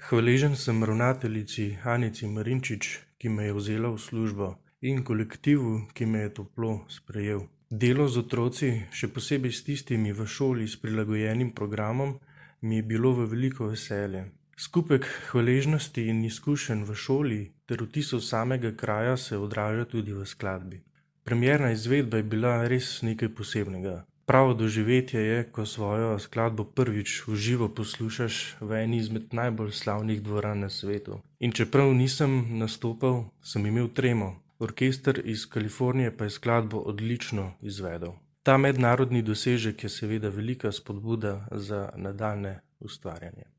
Hvaležen sem ravnateljici Anici Marinčič, ki me je vzela v službo, in kolektivu, ki me je toplo sprejel. Delo z otroci, še posebej s tistimi v šoli s prilagojenim programom, mi je bilo v veliko veselje. Skupek hvaležnosti in izkušenj v šoli ter vtisov samega kraja se odraža tudi v skladbi. Premierna izvedba je bila res nekaj posebnega. Pravo doživetje je, ko svojo skladbo prvič v živo poslušaš v eni izmed najbolj slavnih dvoran na svetu. In čeprav nisem nastopal, sem imel tremo. Orkester iz Kalifornije pa je skladbo odlično izvedel. Ta mednarodni dosežek je seveda velika spodbuda za nadaljnje ustvarjanje.